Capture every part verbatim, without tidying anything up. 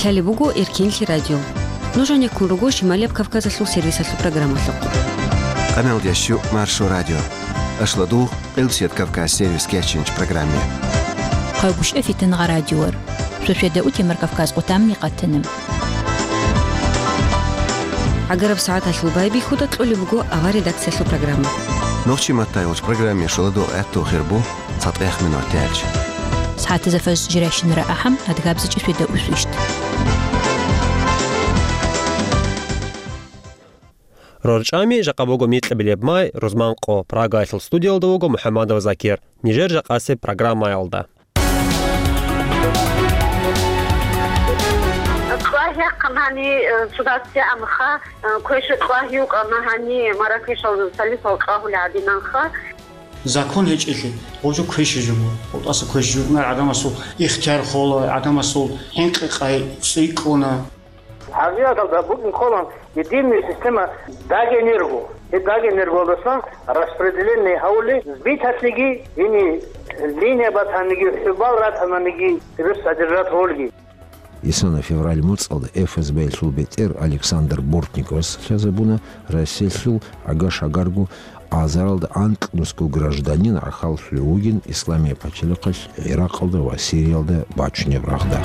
Лъалеб буго Эркенлъи радио. Нуж гьанеккун руго Шималияб Кавказалъул сервисалъул программалъухъ. Къаналдящу Маршо радио. Ашладу Къилсият Кавказ сервис кечинч программе. Къайгушев Фитангъа радиор. Шошеда утемар Кавказ къутамни къатанам. Агараб сагӀаталъул байбихьуда кьолеб буго авар редакциялъул программа. Нохчи маттайулч программе шуладу гӀатту хирбу цатӀех минут тяч. СагӀатаза фаз жиращинара ахӀам адгабзичӀи феда усвищт. РорчӀами жакъа буго микьабилеб май, рузман къо, Прагаялъул студиялда вуго МухӀаммадов Закир. Нижер жакъасеб программаялда. Кьвагьяхъан гьани, э, судаци амха, э, квеша кьвагьи укъана гьани, Маракешал салисал кьагьули гьадинанха. Закон гьечӀелъи, гъожо квеша жуго. ГъутӀаса квеш жугънар гӀадамасул ихтияр хола, гӀадамасул хӀинкъи-къай цӀикӀкӀуна. ХӀакъикъаталда букӀин ккола единая система Дагэнерго. Гьеб Дагэнергоялдасан распределение гьавули биталъиги, гьини линия батаниги, хӀубал ратананиги, гьеб содержать гьолги. Исана февраль моцӀалда ФСБ-ялъул бетӀер Александр Бортниковас лъазабуна Россиялъул гӀага-шагарго азаралда анкьнусго гражданин гӀахьаллъулев вугин Исламияб пачалихъалъ ГӀиракъалда ва Сириялда бачунеб рагъда.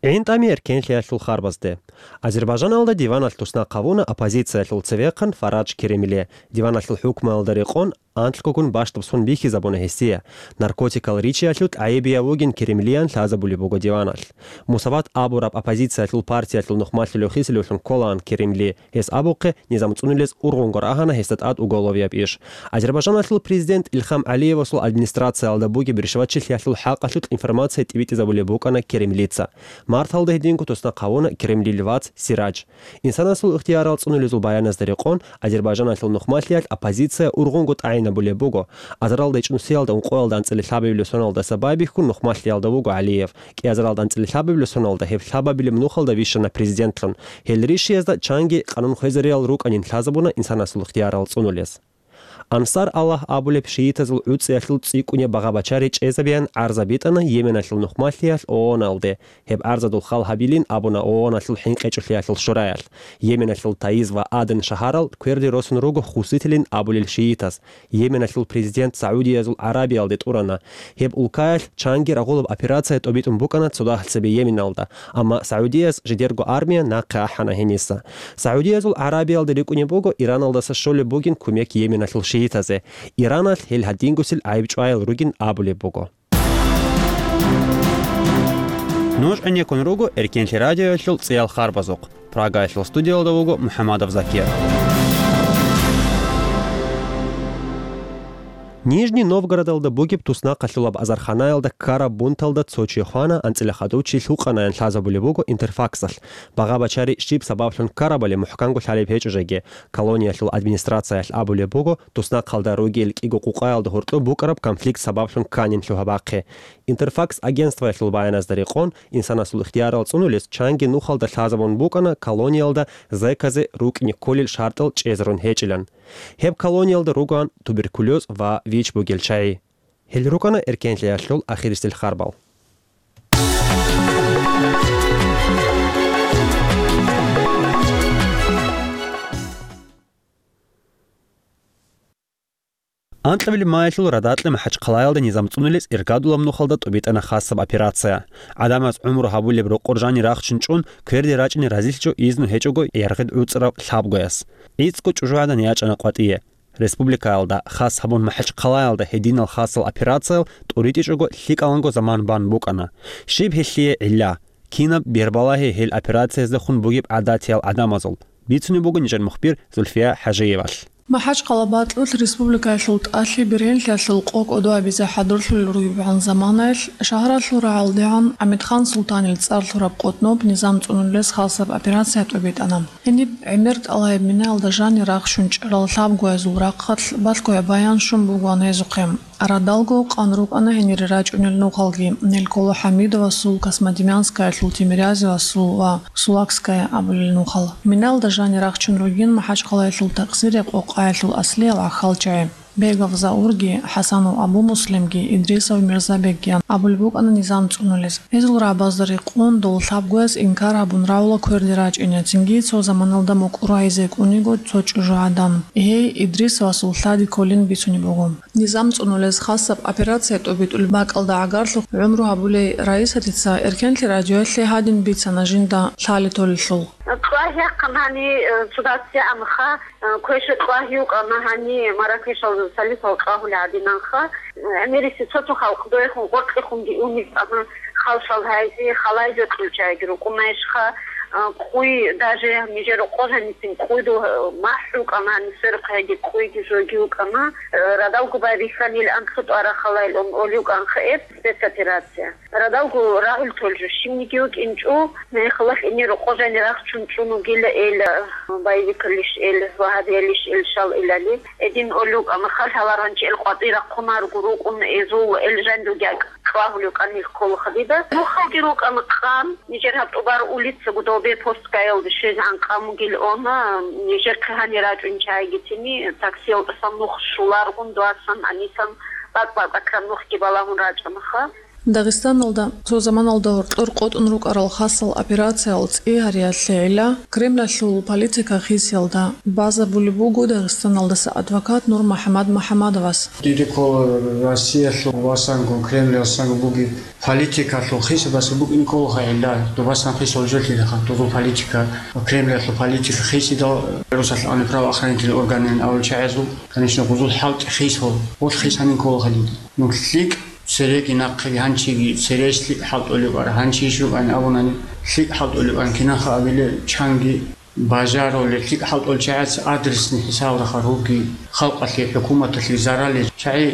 ГӀинтӀами эркенлъиялъул харбазде. Азербайжаналда диваналъ туснахъ гьавуна оппозициялъул цевехъан Фарадж Керимли. Диваналъул хӀукмуялда рекъон анлъгогун бащдаб сон бихьизабуна гьесие. Наркотикал ричиялъул тӀайибияв вугин Керимлиян лъазабулеб буго диваналъ. Мусават абураб оппозициялъул партиялъул нухмалъулев хисилевлъун кколаан Керимли. Гьес абухъе, низам цӀунулез ургъунго рагьана гьесда тӀад уголовияб иш. Азербайжаналъул президент Илхам ГӀалиевасул администрациялда бугеб ришватчилъиялъул хӀакъалъулъ информация тӀибитӀизабулеб букӀана Керимлица. Марталда гьединго туснахъ гьавуна Керимлил вац Сирадж. Инсанасул ихтиярал цӀунулезул баяназда рекъон, Азербайжаналъул нухмалъиялъ оппозиция ургъунго тӀагӀинабулеб буго. Азаралда ичӀнусиялда ункъоялда анцӀила лъабабилеб соналдаса байбихьун нухмалъиялда вуго ГӀалиев. КӀиазаралда анцӀила лъабабилеб соналда гьеб лъабабилеб нухалда вищана президентлъун. Гьел ришиязда чанги къанун хвезариял рукӀанин лъазабуна инсанасул ихтиярал цӀунулез. Ансар Аллагь абулеб шиитазул гӀуцӀиялъул цӀикӀкӀунеб багъа-бачари чӀезабеян гӀарза битӀана Йеменалъул нухмалъиялъ ООНалде. Гьеб гӀарзадул хал гьабилин абуна ООНалъул хӀинкъичӀолъиялъул шураялъ. Йеменалъул Таиз ва Аден шагьарал кверде росун руго хуситилин абулел шиитаз. Йеменалъул президент Саудиязул ГӀарабиялде тӀурана. Гьеб улкаялъ чанги рагъулаб операция тӀобитӀун букӀана цодагьалъ цебе Йеменалда, амма Саудияс жидерго армия нахъе ахӀана гьениса. Саудиязул ГӀарабиялда рикӀкӀунеб буго Ираналдаса щолеб бугин кумек Йеменалъул шиитазе. Ираналъ гьел гьадингусел гӀайибчӀваял ругин абулеб буго. Нуж гӀенеккун руго Эркенлъи радиоялъул цӀиял харбазухъ. Прагаялъул студиялда вуго МухӀаммадов Закир. Нижний Новгородалда бугеб туснахъалъулаб азарханаялда ккараб бунталда цо чи хвана, анцӀила хадув чи лъукъанаян лъазабулеб буго Интерфаксалъ. Багъа-бачари щиб сабаблъун ккарабали мухӀканго лъалеб гьечӀо жеги. Колониялъул администрациялъ абулеб буго, туснахъалда ругел кӀиго къукъаялда гьоркьоб букӀараб конфликт сабаблъун кканин лъугьа-бахъе. Интерфакс агентствоялъул баяназда рекъон, инсанасул ихтиярал цӀунулес чанги нухалда лъазабун букӀана колониялда зеказе рукӀни кколел шартӀал чӀезарун гьечӀилан. Гьеб колониялда ругоан туберкулез ва вич бугел чагӀи. Гьел рукӀана эркенлъиялъул ахирисел харбал. Анкьабилеб маялъул радакьа МахӀачхъалаялда низам цӀунулес иргадулаб нухалда тӀубитӀана хасаб операция. ГӀадамаз гӀумру гьабулеб рокъор жанир рахчун чӀун, кверде рачӀине разилъичӀо изну гьечӀого яргъид гӀуцӀарав лъабгояс. ГӀицӀго чӀужугӀадан ячӀана къватӀие. Республикаялда, хас гьабун МахӀачхъалаялда гьединал хасал операциял тӀуритӀичӀого лъикӀаланго заман бан букӀана. Щиб гьелъие гӀилла? Кинаб бербалагьи гьел операцияздехун бугеб гӀадатиял гӀадамазул? Бицунеб буго нижер мухбир Зульфия ХӀажиевалъ. МахӀачхъала бакьулъ республикаялъул тӀалъи бергьенлъиялъул къо кӀодо абизе хӀадурлъулел ругебгӀан заманаялъ, шагьаралъул рагӀалдегӀан ГӀамидхан Султанил цӀар лъураб къотӀноб низам цӀунулес хасаб операция тӀубитӀана. Гьениб гӀемер тӀалаяб минаялда жанир рахчун чӀарал лъабгоязул рахъалъ балъгояб баян щун бугоан гьезухъе. Радалго къан рукӀана гьенире рачӀунел нухалги, Нельколо ХӀамидовасул, Космодемьянскаялъул Тимирязевасул ва Сулакская абулел нухал. Минаялда жанир рахчун ругин МахӀачхъалаялъул такъсире къокъаялъул аслиял гӀахьалчагӀи. Бегов Заурги, ХӀасанов Абу-Муслимги, Идрисов Мирзабекги абулеб букӀана низам цӀунулез. Гьезул рагӀабазда рекъон дол лъабгояс инкар гьабун равула кверде рачӀине, цинги цо заманалда мукӀур гьайзе кӀуниго цо чӀужугӀадан. Гьей Идрисовасул лъади кколин бицунеб буго. Низам цӀунулез хасаб операция тӀобитӀулеб бакӀалда гӀагарлъухъ гӀумру гьабулей Раисатица Эркенлъи радиоялъе гьадин бицана жинда лъалеб толелъул. Кьвагьахъан гьани, э, цо дацци амха, э, квеша кьвагьи вукӀана гьани, маракешал салифал кьвагьули гьадинанха. ГӀемериси цо-цо халкъ доехун гъоркьехунги уни вукӀана, халшал гьайзи, халайзе кьучӀайги рукӀунаешха, э, къуй, даже нижер къо жанисин къуйду, э, махӀ вукӀана гьани, сверухъ гьайги къуйги жоги вукӀана, э, радалго байбихьанил анцӀго тӀвара халайил ун оли вукӀанха эб спецоперация. Радалго рагӀул толжу щибниги вукӀинчӀо, мехалъ ине рокъо жани рахчун чӀун вугила эл, боевикалищ эл, вагьабиялищ эл, шал илали. Эдин олук амахал гьаларанчи эл къватӀи рахъунарго рукӀун эзул эл жандуги кьвагьулев кӀанил кколаха дида. Нухалги рукӀана къан, нижер гьаб тӀубар улицаго добе постгаялда щвезегӀан къан бугил она, нижер хъигьани рачӀун чайгитини, таксиялдасан нух шуларгун, дуасан, анисан, бакӀ-бакӀ акрам нухги балагьун рачӀанаха. Дагъистаналда цо заманалда гьоркьор къотӀун рукӀарал хасал операциял цӀи гьариялъегӀила Кремлалъул политика хисиялда базабулеб буго Дагъистаналдаса адвокат НурмухӀаммад МухӀаммадовас. Диде ккола Россиялъул васанго, Кремлалъ васанго бугеб политикалъул хисабаса букӀин кколаха гӀилла, дубасан хисал жолъилаха, дозул политика, Кремлалъул политика хисидал, русалъ ани правоохранительный органин авал чагӀазул, конечно, гъузул хӀалтӀи хисал, гъул хисанин кколаха диде. Ну, лъикӀ цереги нахъеги гьанчиги цереш лъикӀ хӀалтӀулеб ара, гьанчи иш рукӀани абунани лъикӀ хӀалтӀулеб ан кинаха абиле чанги бажарулел лъикӀ хӀалтӀул чагӀаца адресни хӀисаб рахъа руги халкъалъе, хӀукуматалъе заралел чагӀи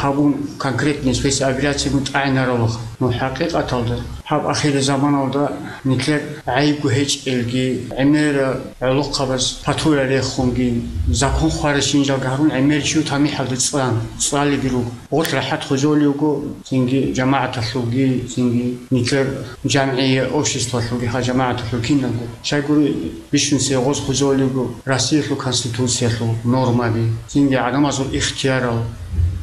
гьабун конкретный спецоперацияб тӀагӀинаралаха. Ну, хӀакъикъаталда, гьаб ахирзаманалда нилъер гӀайибго гьечӀелги, гӀемера гӀолохъабаз патура рехунги, закон хваращинжалги гьарун гӀемер чи тамихӀалда цӀан, цӀалиги руго. Гъорлъ рахӀат хвезолев вуго, цинги жамагӀаталъулги, цинги нилъер жамгӀия, обществалъулги, гьа, жамагӀаталъул киналго. Щайгури бищунсе гъоз хвезолев вуго Россиялъул Конституциялъул нормаби, цинги гӀадамазул ихтиярал,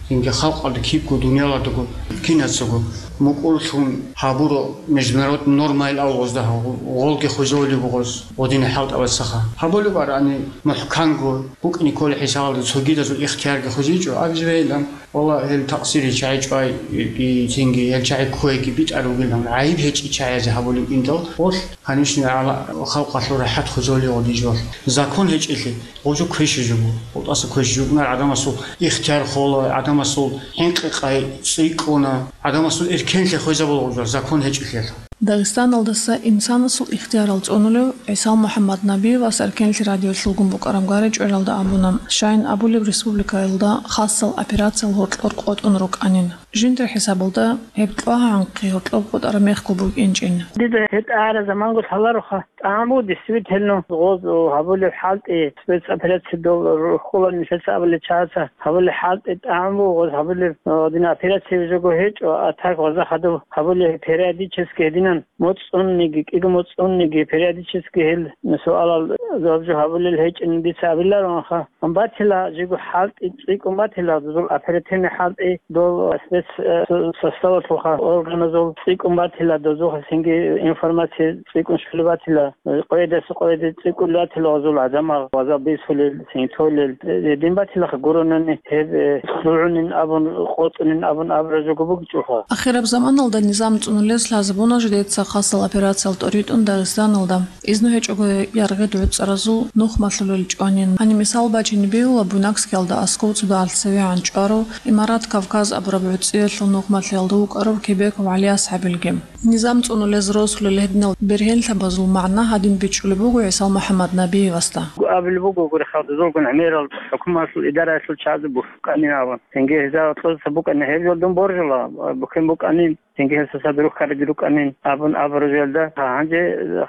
цинги халкъалда кибго дунияладаго кинацаго мукӀурлъун гьабуро международный нормаил авгъозда гьав, гъолги хвезолев вуго гъоз, гъодине хӀалтӀабацаха. Гьабулеб арани мухӀканго букӀине кколеб хӀисабалда цогидазул ихтиярги хвезичӀо, абизе бегьилан. Валлагь, гьел такъсири чагӀи чӀвай, и, цинги гьел чагӀи кквейги битӀар ругилан, гӀайиб гьечӀи чагӀазе гьабулеб индал, гъолъ, конечно, гьала халкъалъул рахӀат хвезолев гъодижвал. Закон гьечӀелъи, гъожо квеши жубу, гъутӀаса квеши жубунар гӀадамасул ихтияр хола, гӀадамасул хӀинкъи-къай цӀикӀкӀуна, гӀадамасул эркенлъи хвезабула гъужал, закон гьечӀелъиялъ. Дагъистаналдаса инсанасул ихтиярал цӀунулев ГӀисал МухӀаммад Набиевас Эркенлъи радиолъулгун букӀараб гъаричӀвелалда абуна, щайин абулеб республикаялда хасал операциял гьоркьор къотӀун рукӀанин. Жиндир хӀисабалда гьеб кьвагьанхъи гьоркьоб къотӀараб мехго букӀинчӀин. Дида гьеб тӀагӀара заманго лъалароха, тӀагӀаму действительно гъоз гьабулеб хӀалтӀи, спецоперация дол рухкула нилъеца абулеб чагӀаца гьабулеб хӀалтӀи, тӀагӀаму гъоз гьабулеб, э, гьадин операция жого гьечӀо, а так гъоза хадуб гьабулеб периодически гьединан. МоцӀунниги, кӀиго моцӀунниги, периодически гьел суалал жаваб жо гьабулел гьечӀин дица абиларонха. Батила жиго хӀалтӀи цӀикӀкӀун батила, дозул оперативный хӀалтӀи, дол спец, э, составалъулха органазул цӀикӀкӀун батила, дозухъа цинги информация цӀикӀкӀун щулеб батила, э, къоядаса къояде цӀикӀкӀун батила гъазул гӀадамал, гъаза бисулел, цинги толел, э, дин батилаха гуронани гьеб, э, лугӀунин абун, къотӀунин абун абура жого бугичӀоха. Ахираб заманалда низам цӀунулез лъазабуна жидеца хасал операциял тӀоритӀун Дагъистаналда. Изну гьечӀого яргъи дугӀуцӀаразул нухмалъулел чӀванин. Гьаниб мисал бачине бегьула Буйнакскиялда аскӀов цо дагьалъ цевегӀан чӀварав, Имарат Кавказ абураб гӀуцӀиялъул нухмалъиялда вукӀарав Кебеков ГӀалияс гьабилги. Низам цӀунулез росулел гьединал бергьенлъабазул магӀна гьадин бичӀчӀулеб буго ГӀисал МухӀаммад Набиевасда. Абулеб буго гури, халкъ дозулгун гӀемерал хӀукуматалъул идараялъул чагӀазе бухӀуканин абун. Цинги гьезда кьозаса букӀана гьеб жолдун боржула, бухӀен букӀанин. Цинги гьел сосаб рухьарги рукӀанин абун абураб жоялда, гьанже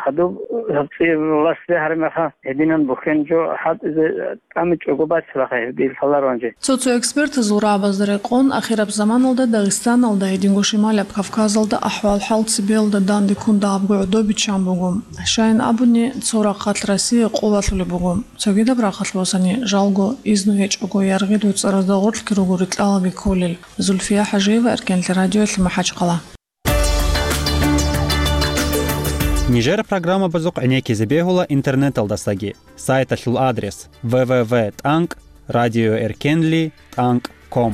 хадуб гьаб цӀи властьде гьарамаха, гьединан бухьен жо хӀалтӀизе тӀамичӀого бацилаха гьебги лъаларо гьанже. Цо-цо экспертазул рагӀабазда рекъон, ахираб заманалда Дагъистаналда, гьединго Шималаб Кавказалда ахӀвал-хӀал Цебелда данде ккун дагьабго гӀодобиччан буго. Щайин абуни, цо рахъалъ Россия къолалъулеб буго. Цогидаб рахъалъ босани, жалго, изну гьечӀого, яргъи дуцӀаразда гъорлъги руго рикьалаби кколел. Зульфия ХӀажиева, Эркенлъи радиоялъ, МахӀачхъала. Нижер программабазухъ гӀенеккизе бегьула интернеталдасаги. Сайталъул адрес: в в в тӀанкӀ радиоэркенли тӀанкӀ ком.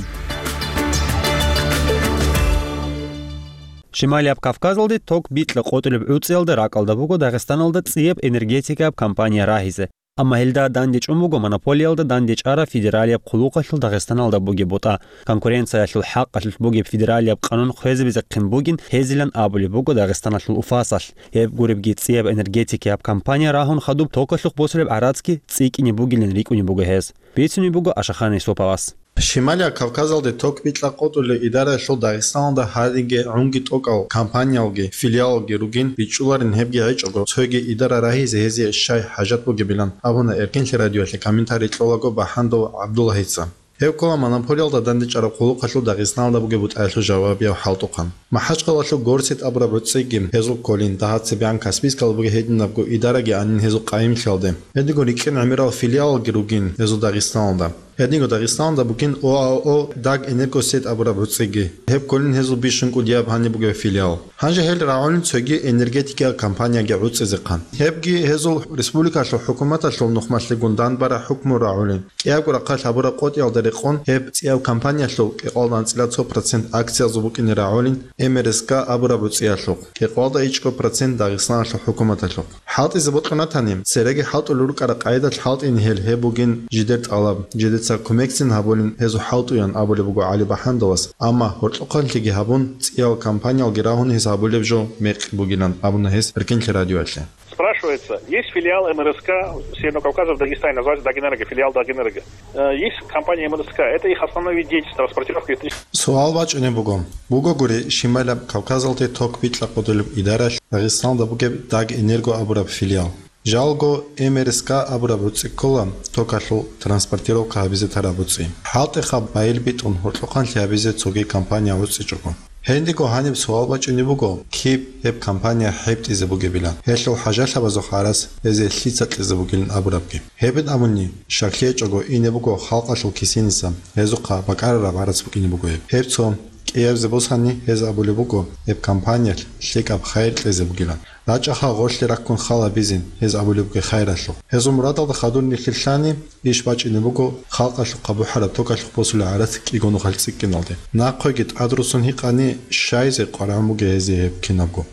Шималияб Кавказалде ток бикьа къотӀулеб гӀуцӀиялда ракӀалда буго Дагъистаналда цӀияб энергетикаяб компания рагьизе. Амма гьелда дандечӀун буго монополиялда дандечӀараб федералияб хъулухъалъул Дагъистаналда бугеб бутӀа. Конкуренциялъул хӀакъалъулъ бугеб федералияб къанун хвезабизехъин бугин гьезилан абулеб буго Дагъистаналъул УФАСалъ. Гьеб гуребги цӀияб энергетикияб компания рагьун хадуб токалъухъ босулеб гӀарацги цӀикӀкӀине бугилан рикӀкӀунеб буго гьез. Бицунеб буго Ашахъан Исуповас. Шималияб Кавказалде ток бикьа къотӀулел идараялъул Дагъистаналда гьадинги гӀунги тӀокӀал компаниялги филиалалги ругин бичӀчӀуларин, гьебги гьечӀого, цоги идара рагьизе гьезие щай хӀажат бугебилан абуна Эркенлъи радиоялъе комментарий кьолаго БахӀандов ГӀабдуллагьица. Гьев ккола монополиялда дандечӀараб хъулухъалъул Дагъистаналда бугеб бутӀаялъул жавабияв хӀалтӀухъан. МахӀачхъалалъул Горсет абураб гӀуцӀиги гьезул кколин, дагьа цебегӀан Каспийскалда бугеб гьединабго идараги анин гьезул къайимлъиялде. Гьединго рикӀкӀин гӀемерал филиалалги ругин гьезул Дагъистаналда. Гьединго Дагъистаналда бугин ОАО «Дагэнергосеть» абураб гӀуцӀиги. Гьеб кколин гьезул бищун кӀудияб гьаниб бугеб филиал. Гьанже гьел рагӀулин цоги энергетикиял компанияги гӀуцӀизехъан. Гьебги гьезул республикалъул хӀукуматалъул нухмалъегун данбараб хӀукму рагӀулин. КӀиябго рахъалъ гьабураб къотӀиялда рекъон гьеб цӀияб компаниялъул кӀикъоялда анцӀила цо процент акциязул букӀине рагӀулин МРСК абураб гӀуцӀиялъухъ, кӀикъоялда ичӀго процент Дагъистаналъул хӀукуматалъухъ. ХӀалтӀизе бокьун ратани, цереги хӀалтӀулел рукӀараб къайдалъ хӀалтӀине гьел, гьеб бугин жидер тӀалаб, жидеца кумекцин гьабулин гьезул хӀалтӀуян абулеб буго ГӀали БахӀандовас, амма гьоркьохъанлъиги гьабун, цӀияб компаниялги рагьун гьез гьабулеб жо мекъи бугилан абуна гьес Эркенлъи радиоялъе. Спрашивается, есть филиал МРСК Северного Кавказа в Дагестане, называется Дагэнерго, филиал Дагэнерго. Э, есть компания МРСК, это их основной вид деятельности, транспортировка электричества. Суал бачӀунеб буго. Бугогури, Шималаб Кавказалде ток бикьа къотӀулеб идаралъ Дагъистаналда бугеб Дагэнерго абураб филиал. Жалго МРСК абураб гӀуцӀи ккола токалъул транспортировка гьабизе тараб гӀуцӀи. ХӀалтӀиха байил битӀун гьоркьохъанлъи гьабизе цоги компания гӀуцӀичӀого. Гьединго гьаниб суал бачӀунеб буго, киб гьеб компания хӀептӀизе бугебилан, гьелъул хӀажалъабазухъ гӀарац гьезие лъица кьезе бугилан абурабги. Гьебин абуни, щаклъи гьечӀого ине буго халкъалъул кисиниса, гьезухъа бакӀарараб гӀарац букӀине буго гьеб. Гьеб цо кӀиябзе босани, гьез абулеб буго, гьеб компаниялъ лъикӀаб хайир кьезе бугилан. РачӀаха гъорлъе раккун хал гьабизе, гьез абулеб буго хайиралъухъ. Гьезул мурадалда хадур нилъер лъани, иш бачӀине буго халкъалъухъа бухӀараб токалъухъ босулеб гӀарац кӀиго нухалъ цӀикӀкӀиналде. Нахъеги тӀадрусун гьикъани, щайзе къваригӀун бугеб гьезие гьеб кинабго.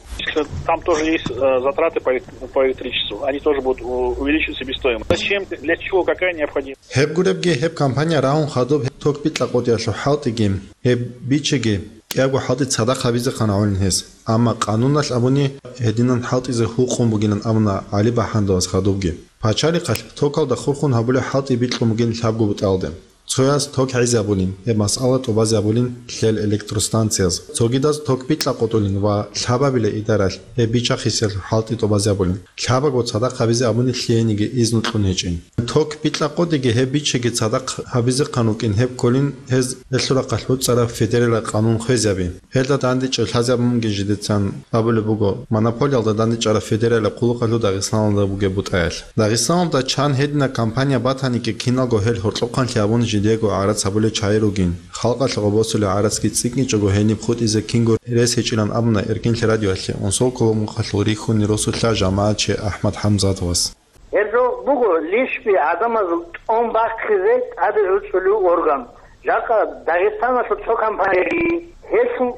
Там тоже есть, э, затраты по элек-, по электричеству. Они тоже будут у-, увеличивать себестоимость. Зачем, для чего, какая необходимость? Гьеб гуребги, гьеб компания рагьун хадуб гьеб ток бикьа къотӀиялъул хӀалтӀиги, гьеб бичеги, кӀиябго хӀалтӀи цадахъ гьабизехъан гӀолин гьес. Амма къануналъ абуни, гьединан хӀалтӀизе гьукъун бугилан абуна ГӀали БахӀандовас хадубги. Пачалихъалъ токалда хурхун гьабулеб хӀалтӀи бикьун бугин лъабго бутӀалде. Цояз ток гӀезабулин, гьеб масъала тӀубазабулин лъел электростанцияз. Цогидаз ток бикьа къотӀулин ва лъабабила идаралъ гьеб бичахъисел хӀалтӀи тӀубазабулин. Лъабаго цадахъ гьабизе абуни лъиениги изну кьун гьечӀин. Ток бикьа къотӀиги гьеб бичеги цадахъ гьабизехъан рукӀин гьеб кколин, гьез гьелъул рахъалъ буцӀцӀараб федералияб къанун хвезаби. Гьелда дандечӀеб лъазабун бугин жидецан абулеб буго, монополиялда дандечӀараб федералияб хъулухъалъул Дагъистаналда бугеб бутӀаялъ. Дагъистаналда чан гьединаб компания батаниги киналго гьел гьоркьохъанлъи абун жидего гӀарац гьабулел чагӀи ругин. Халкъалъухъа босулеб гӀарацги цӀикӀкӀинчӀого гьениб хутӀизе кинго рес гьечӀилан абуна Эркенлъи радиоялъе Унсолкулумухъалъул рихьунин росулъа жамагӀатчи АхӀмад ХӀамзатовас. Гьеб жо буго лишби гӀадамазул тӀун бахъизе тӀаде гӀуцӀулев орган. Жакъа Дагъистаналъул цо компанияги, гьелъул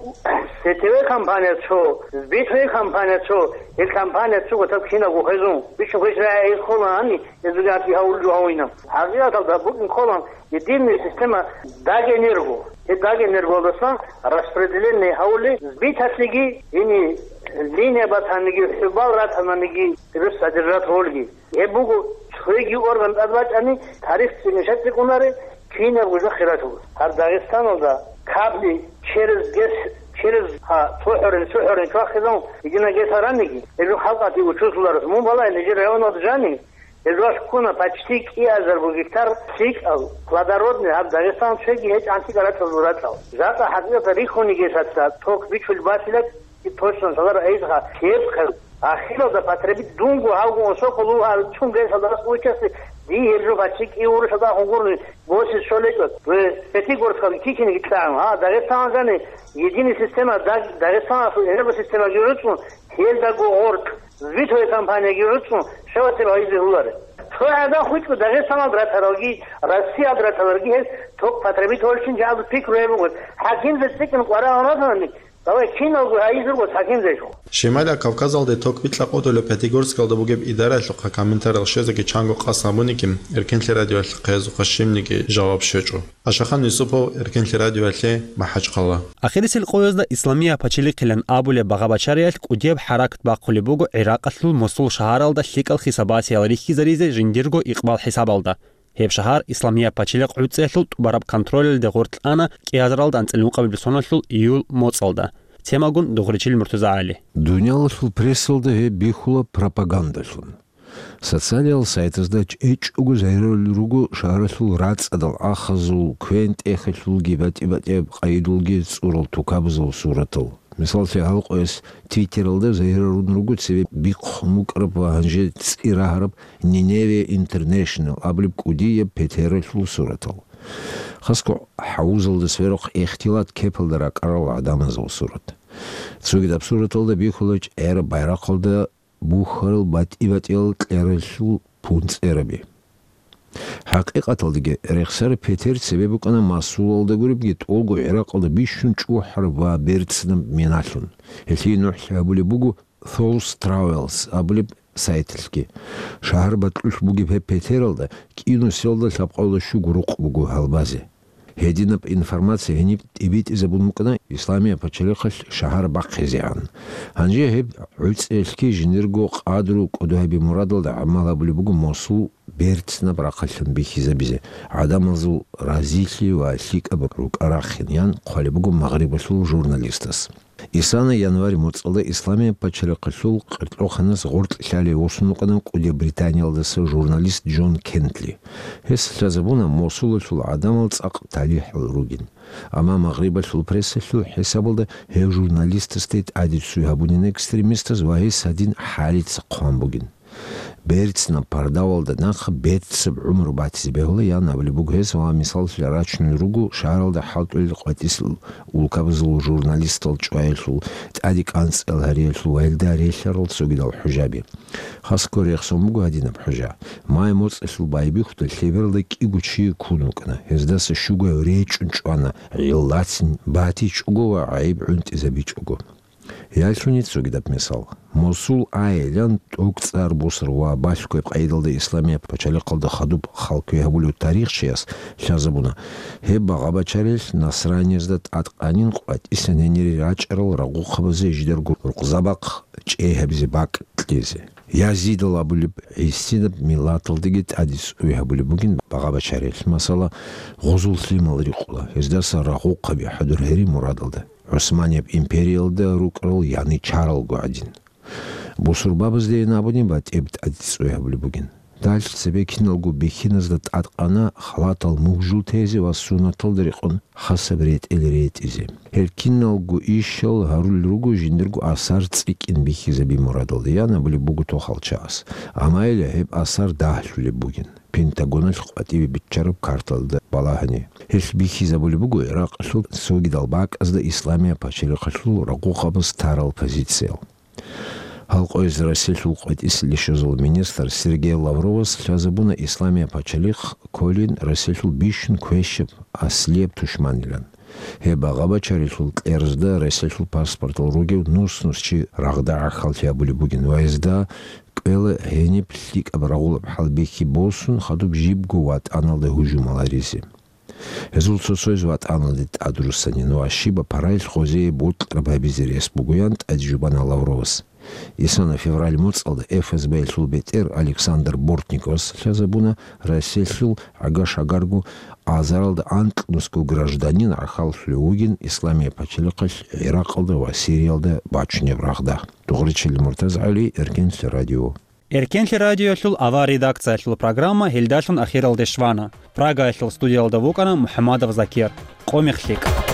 сетеве компания цо, сбитове компания цо, гьел компания цо гъотӀаб кинабго хвезун, бичун хвезарай гьел холани, гьезулги гьаб гьавулел жо гьавинаб. ХӀакъикъаталда букӀин кколан единая система Дагэнерго. Гьеб Дагэнергоялдасан распределение гьавули сбиталъеги, гьениб линия батаниги, хӀубал ратананиги, гьеб содержать гьолги. Гьеб буго цоги орган тӀад бачӀани, тарихцин мешать букӀунаре, кинабго жо хиралъур. Гьаб Дагъистаналда кабли через ГЭС, через, гьа, цо хӀорин, цо хӀорин чвахизавун, единая ГЭС гьараниги, гьеб жо халкъалъе учузлъуларас. Мун балай, нижер районалда жани, гьеб жо ккуна почти кӀиазарго гектар лъикӀал, плодородный, гьаб Дагъистан цоги гьечӀ гӀантикӀа рачӀалъул рачӀал. Жакъа хӀакъикъаталда рихьуни гьесаца ток бичулеб батила, Точно, шалара эйзха, кепха, ахиралда потребить дунго гьавго осоколуга чун гей шалдас участи, ди гьеб жо бачи кӀиур шалда хугурни, босис шолечӀо, ве Пятигорскалги кикинеги кьан, а, Дагъистаналдани единый система, Даг-, Дагъистаналъул энергосистемаги гӀуцӀун, гьелдаго гъоркь, Витовая компанияги гӀуцӀун, шаватир гьайзе гьуларе. Цо гӀадан хутӀго Дагъистаналда ратаралги, Россиялда ратаралги гьез ток потребить гьолчин жагьлу пикру гьеб бугоц. ХӀакимзе цӀикӀкӀун къварагӀун ратани, давай киналго гьайизурго хӀакимзе жо. Шималияб Кавказалде ток бикьа къотӀулеб Пятигорскалда бугеб идараялъухъа комментариял щвезеги чанго къасд гьабуниги, Эркенлъи радиоялъухъе гьезухъа щибниги жаваб щвечӀо. Ашахан Юсупов, Эркенлъи радиоялъе, МахӀачхъала. Ахирисел къоязда Исламия пачалихъилан абулеб багъа-бачариялъ кӀудияб хӀаракат бахъулеб буго ГӀиракъалъул Мосул шагьаралда лъикӀал хисабасиял рихьизаризе жиндирго икъбал хӀисабалда. Гьеб шагьар Исламия пачалихъ гӀуцӀиялъул тӀубараб контролалде гъоркь ана кӀиазаралда анцӀила ункъабилеб соналъул июль моцӀалда. Темагун Дугъричил МуртазагӀали. Дуниялалъул прессалда гьеб бихьула пропагандалъун. Социалиял сайтазда чӀечӀого загьирулел руго шагьаралъул рацӀцӀадал ахазул, квен-тӀехалъулги, батӀи-батӀияб къайдулги цӀурал тукабазул суратал. Мисаллъи, гьалкъояс Твиттералда загьирарун руго цебе бихъун букӀараб ва гьанже цӀи рагьараб Nineveh International абулеб кӀудияб петералъул суратал. Хасго хӀавузалда сверухъ ихтилат кепалда ракӀарал гӀадамазул сурат. Цогидаб сураталда бихьула чӀераб байрахъалда бухьарал батӀи-батӀиял кьералъул пунцӀераби. ХӀакъикъаталдаги, рехсараб петер цебе букӀана Масулалда гуребги тӀолго ГӀиракъалда бищун чӀухӀараб ва берцинаб миналъун. Гьелъие нухлъи гьабулеб буго Thought Travels абулеб сайталъги. Шагьар бакьулъ бугеб гьеб петералда кӀинусиялда лъабкъоялда щуго рукъ буго гьалбазе. Гьединаб информация гьениб тӀибитӀизабун букӀана Исламия пачалихъалъ шагьар бахъизегӀан. Гьанже гьеб гӀуцӀиялъги жиндирго къадру кӀодо гьаби мурадалда гӀамал гьабулеб буго Мосул берцинаб рахъалъан бихьизабизе, гӀадамазул разилъи ва лъикӀаб рукӀа рахъин, ян хъвалеб буго Магърибалъул журналистас. Исана январь моцӀалда Исламия пачалихъалъул къеркьоханас гъоркь лъалев восун вукӀана кӀудияб Британиялдаса журналист Джон Кентли. Гьес лъазабуна Мосулалъул гӀадамал цӀакъ талихӀал ругин. Амма Магърибалъул прессалъул хӀисабалда гьев журналистасде тӀаде цӀуй гьабунин экстремистаз ва гьес гьадин хӀалица хъван бугин. Берцинаб пардавалда нахъа берцинаб гӀумру батизе бегьула, ян абулеб буго гьес, ва мисаллъи рачунел руго шагьаралда хӀалтӀулел къватӀисел улкабазул журналистал чӀваялъул, тӀаде кӀанцӀал гьариялъул ва гьелда релълъарал цогидал хӀужаби. Хасго рехсон буго гьадинаб хӀужа. Май моцӀалъул байбихьуда лъебералда кӀиго чи ккун вукӀана, гьездаса щуго речӀчӀун чӀвана, гӀиллацин батичӀого ва гӀайиб гӀунтӀизабичӀого. Ялъуни цогидаб мисал. Мосул айилан тӀокӀцӀар бусар ва балъгояб къайдалда Исламияб пачалихъалда хадуб халкуе гьабулев тарихчияс лъазабуна, гьеб багъа-бачарилъ насраниязда тӀадкъанин къватӀисан гьенире рачӀарал рагъухъабазе жидарго рукъзабахъ чӀей гьабизе бакӀ кьезе. Язидал абулеб гӀисинаб миллаталдаги тӀаде цӀуй гьабулеб бугин багъа-бачарилъ, масала, гъузул лъимал рикъула, гьездаса рагъухъаби хӀадур гьери мурадалда. ГӀусманияб империялда рукӀарал яничаралго гӀадин. Бусурбабаздейин абуни батӀияб тӀаде цӀуй гьабулеб бугин. Дальчи цебе киналго бихьиназда тӀадкъана халатал мугжул тезе ва суннаталда рекъон хасаб ретӀел ретӀизе. Гьел киналго ишал гьарулел руго жиндирго асар цӀикӀкӀин бихьизаби мурадалда, ян абулеб буго тохалчагӀас. Амма гьеле гьеб асар дагьлъулеб бугин. Пентагоналъ къватӀибе биччараб карталда балагьани. Гьелъ бихьизабулеб буго Иракъалъул цогидал бакӀазда Исламияб пачалихъалъул рагъухъабаз тарал позициял. Гьалкъояз Россиялъул къватӀисел ишазул министр Сергей Лавровас лъазабуна Исламияб пачалихъ кколин Россиялъул бищун квешаб аслияб тушманилан. Гьеб багъа-бачарилъул кьерзда Россиялъул паспортал ругев нус-нус чи рагъда гӀахьаллъи гьабулеб бугин ва гьезда кӀвела гьениб лъикӀаб рагъулаб хӀалбихьи босун, хадуб жибго ватӀаналда гьужумал гьаризе. Гьезул цо-цояз ватӀаналде тӀадруссанин ва щибаб параялъ гъозие бокьараб гьабизе рес бугоян тӀаде жубана Лавровас. Исана февраль моцӀалда ФСБ-ялъул бетӀер Александр Бортниковас лъазабуна Россиялъул гӀага-шагарго азаралда анкьнусго гражданин гӀахьаллъулев вугин Исламияб пачалихъалъ ГӀиракъалда ва Сириялда бачунеб рагъда. Дугъричил МуртазагӀали, Эркенлъи радио. Эркенлъи радиоялъул авар редакциялъул программа гьелдалъун ахиралде щвана. Прагаялъул студиялда вукӀана МухӀамадов Закир. Къо мех лъикӀ.